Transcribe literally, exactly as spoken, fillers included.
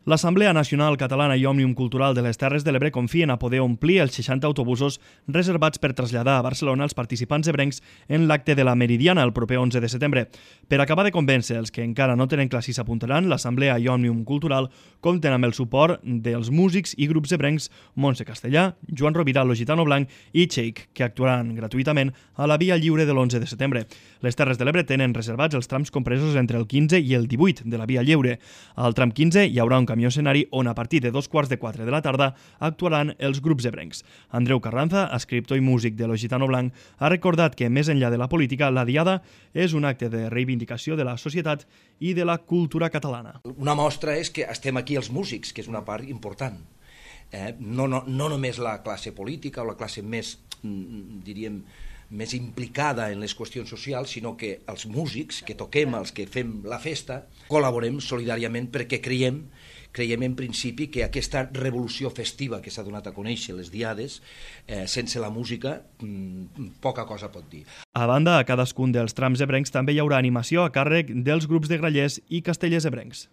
L'Assemblea Nacional Catalana i Òmnium Cultural de les Terres de l'Ebre confien a poder omplir els seixanta autobusos reservats per traslladar a Barcelona els participants ebrencs en l'acte de la Meridiana el proper onze de setembre. Per acabar de convèncer els que encara no tenen clar si s'apuntaran, l'Assemblea i Òmnium Cultural compten amb el suport dels músics i grups ebrencs Montse Castellà, Joan Rovira, Lo Gitano Blanc i Cheik, que actuaran gratuïtament a la Via Lliure de l'onze de setembre. Les Terres de l'Ebre tenen reservats els trams compresos entre el quinze i el divuit de la Via Lliure. Al tram quinze hi haurà un camió escenari on a partir de dos quarts de quatre de la tarda actuaran els grups ebrencs. Andreu Carranza, escriptor i músic de Lo Gitano Blanc, ha recordat que, més enllà de la política, la Diada és un acte de reivindicació de la societat i de la cultura catalana. Una mostra és que estem aquí els músics, que és una part important. Eh? No, no, no només la classe política o la classe més, diríem, més implicada en les qüestions socials, sinó que els músics que toquem, els que fem la festa, col·laborem solidàriament perquè creiem, creiem en principi que aquesta revolució festiva que s'ha donat a conèixer, les diades, eh, sense la música, mmm, poca cosa pot dir. A banda, a cadascun dels trams ebrencs també hi haurà animació a càrrec dels grups de grallers i castellers ebrencs.